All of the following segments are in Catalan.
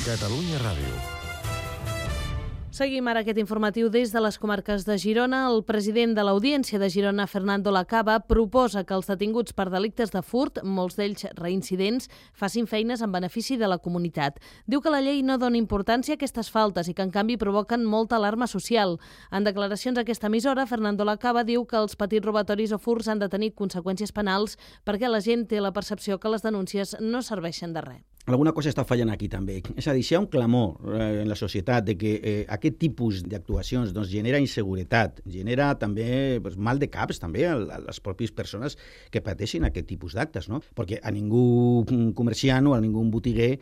Catalunya Ràdio. Seguim ara aquest informatiu des de les comarques de Girona. El president de l'Audiència de Girona, Fernando Lacaba, proposa que els detinguts per delictes de furt, molts d'ells reincidents, facin feines en benefici de la comunitat. Diu que la llei no dona importància a aquestes faltes i que, en canvi, provoquen molta alarma social. En declaracions a aquesta emissora, Fernando Lacaba diu que els petits robatoris o furts han de tenir conseqüències penals perquè la gent té la percepció que les denúncies no serveixen de res. Alguna cosa està fallant aquí també. És a dir, si hi ha un clamor en la societat de que aquest tipus d'actuacions genera inseguretat, genera també mal de caps també a les pròpies persones que pateixen aquest tipus d'actes, no? Perquè a ningú comerciant o a ningú botiguer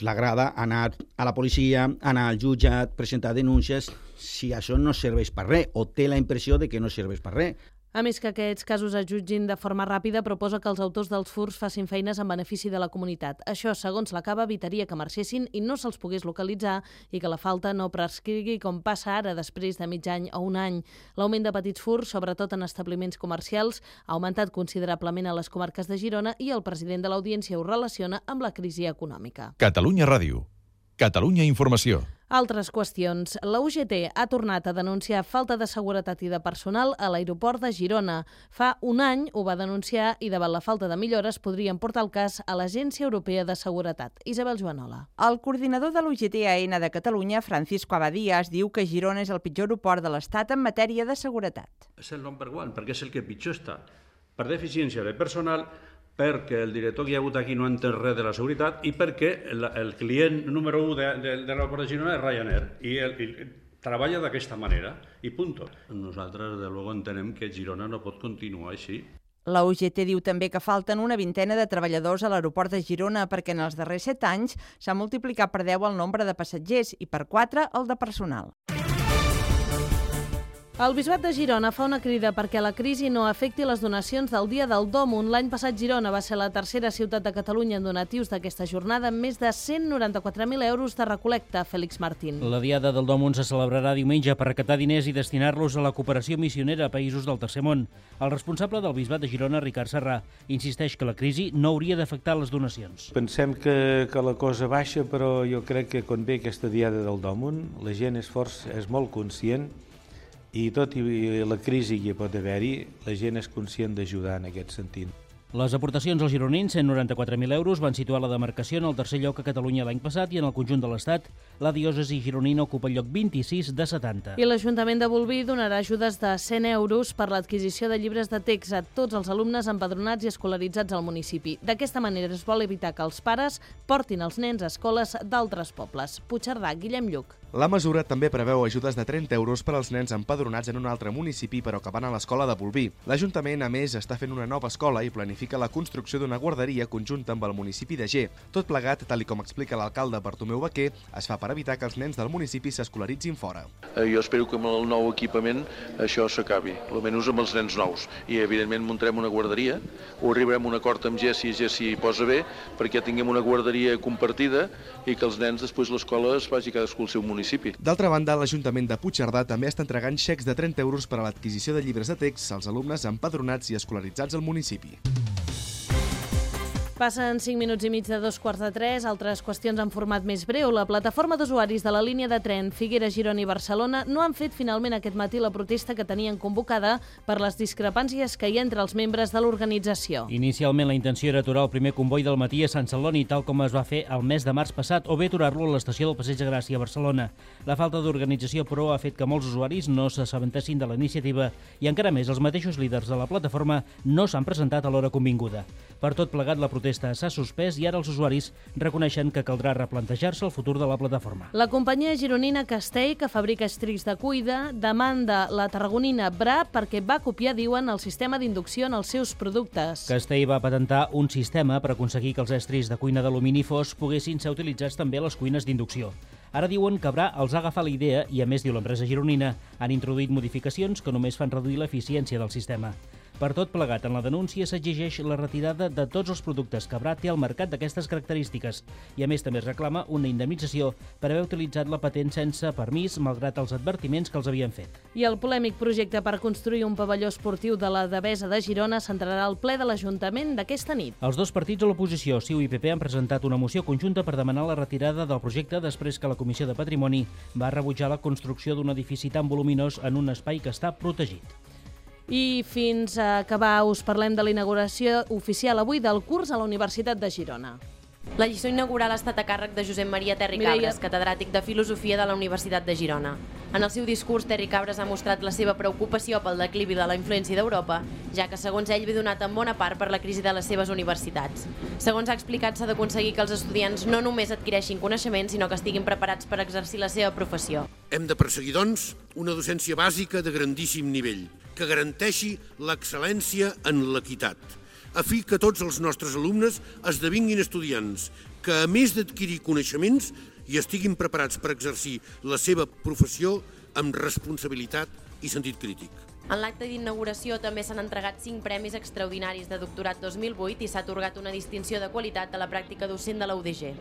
l'agrada anar a la policia, anar al jutjat, presentar denúncies, si això no serveix per res o té la impressió de que no serveix per res. A més que aquests casos es jutgin de forma ràpida, proposa que els autors dels furts facin feines en benefici de la comunitat. Això, segons Lacaba, evitaria que marxessin i no se'ls pogués localitzar i que la falta no prescrigui com passa ara després de mig any o un any. L'augment de petits furts, sobretot en establiments comercials, ha augmentat considerablement a les comarques de Girona i el president de l'Audiència ho relaciona amb la crisi econòmica. Catalunya Ràdio. Catalunya Informació. Altres qüestions. La UGT ha tornat a denunciar falta de seguretat i de personal a l'aeroport de Girona. Fa un any ho va denunciar i davant la falta de millores podrien portar el cas a l'Agència Europea de Seguretat. Isabel Joanola. El coordinador de l'UGT-AN de Catalunya, Francisco Abadías, diu que Girona és el pitjor aeroport de l'Estat en matèria de seguretat. És el number one, perquè és el que pitjor està. Per deficiència de personal, perquè el director que hi ha hagut aquí no entén res de la seguretat i perquè el client número 1 de l'aeroport de Girona és Ryanair i treballa d'aquesta manera i punt. Nosaltres, de luego, entenem que Girona no pot continuar així. La UGT diu també que falten una vintena de treballadors a l'aeroport de Girona perquè en els darrers 7 anys s'ha multiplicat per 10 el nombre de passatgers i per 4 el de personal. El Bisbat de Girona fa una crida perquè la crisi no afecti les donacions del Dia del Dòmun. L'any passat Girona va ser la tercera ciutat de Catalunya en donatius d'aquesta jornada amb més de 194.000 euros de recol·lecta. Félix Martín. La Diada del Dòmun se celebrarà diumenge per recaptar diners i destinar-los a la cooperació missionera a països del Tercer Món. El responsable del Bisbat de Girona, Ricard Serrà, insisteix que la crisi no hauria d'afectar les donacions. Pensem que la cosa baixa, però jo crec que quan ve aquesta Diada del Dòmun la gent és molt conscient i tot i la crisi que pot haver-hi, la gent és conscient d'ajudar en aquest sentit. Les aportacions als gironins, 194.000 euros, van situar la demarcació en el tercer lloc a Catalunya l'any passat i en el conjunt de l'Estat la diòcesi gironina ocupa el lloc 26 de 70. I l'Ajuntament de Bolvir donarà ajudes de 100 euros per l'adquisició de llibres de text a tots els alumnes empadronats i escolaritzats al municipi. D'aquesta manera es vol evitar que els pares portin els nens a escoles d'altres pobles. Puigcerdà, Guillem Lluc. La mesura també preveu ajudes de 30 euros per als nens empadronats en un altre municipi però que van a l'escola de Bolvir. L'Ajuntament, a més, està fent una nova escola i planifica la construcció d'una guarderia conjunta amb el municipi de Ger. Tot plegat, tal com explica l'alcalde Bartomeu Baquer, es fa per evitar que els nens del municipi s'escolaritzin fora. Jo espero que amb el nou equipament això s'acabi, almenys amb els nens nous. I, evidentment, muntarem una guarderia, o arribarem a un acord amb Ger si Ger posa bé, perquè tinguem una guarderia compartida i que els nens després l'escola es vagi cadascú al seu municipi. D'altra banda, l'Ajuntament de Puigcerdà també està entregant xecs de 30 euros per a l'adquisició de llibres de text als alumnes empadronats i escolaritzats al municipi. Passen 5 minuts i mig de 2:45. Altres qüestions en format més breu. La plataforma d'usuaris de la línia de tren Figueres, Girona i Barcelona no han fet finalment aquest matí la protesta que tenien convocada per les discrepàncies que hi ha entre els membres de l'organització. Inicialment la intenció era aturar el primer comboi del matí a Sant Celoni, tal com es va fer el mes de març passat, o bé aturar-lo a l'estació del Passeig de Gràcia a Barcelona. La falta d'organització, però, ha fet que molts usuaris no s'assabentessin de la iniciativa i encara més els mateixos líders de la plataforma no s'han presentat a l'hora convinguda. Per tot plegat, la protesta s'ha suspès i ara els usuaris reconeixen que caldrà replantejar-se el futur de la plataforma. La companyia gironina Castell, que fabrica estris de cuida, demanda la tarragonina Bra perquè va copiar, diuen, el sistema d'inducció en els seus productes. Castell va patentar un sistema per aconseguir que els estris de cuina d'alumini fos poguessin ser utilitzats també a les cuines d'inducció. Ara diuen que Bra els ha agafat la idea i, a més, diu l'empresa gironina, han introduït modificacions que només fan reduir l'eficiència del sistema. Per tot plegat, en la denúncia s'exigeix la retirada de tots els productes que Brat té al mercat d'aquestes característiques i, a més, també es reclama una indemnització per haver utilitzat la patent sense permís, malgrat els advertiments que els havien fet. I el polèmic projecte per construir un pavelló esportiu de la Devesa de Girona s'entrarà al ple de l'Ajuntament d'aquesta nit. Els dos partits de l'oposició, CiU i PP, han presentat una moció conjunta per demanar la retirada del projecte després que la Comissió de Patrimoni va rebutjar la construcció d'un edifici tan voluminós en un espai que està protegit. I fins a acabar us parlem de la inauguració oficial avui del curs a la Universitat de Girona. La lliçó inaugural ha estat a càrrec de Josep Maria Terri Cabres, catedràtic de Filosofia de la Universitat de Girona. En el seu discurs, Terri Cabres ha mostrat la seva preocupació pel declivi de la influència d'Europa, ja que, segons ell, ve donat en bona part per la crisi de les seves universitats. Segons ha explicat, s'ha d'aconseguir que els estudiants no només adquireixin coneixements, sinó que estiguin preparats per exercir la seva professió. Hem de perseguir, doncs, una docència bàsica de grandíssim nivell, que garanteixi l'excel·lència en l'equitat, a fi que tots els nostres alumnes esdevinguin estudiants que, a més d'adquirir coneixements, hi estiguin preparats per exercir la seva professió amb responsabilitat i sentit crític. En l'acte d'inauguració també s'han entregat 5 premis extraordinaris de doctorat 2008 i s'ha atorgat una distinció de qualitat a la pràctica docent de la UDG.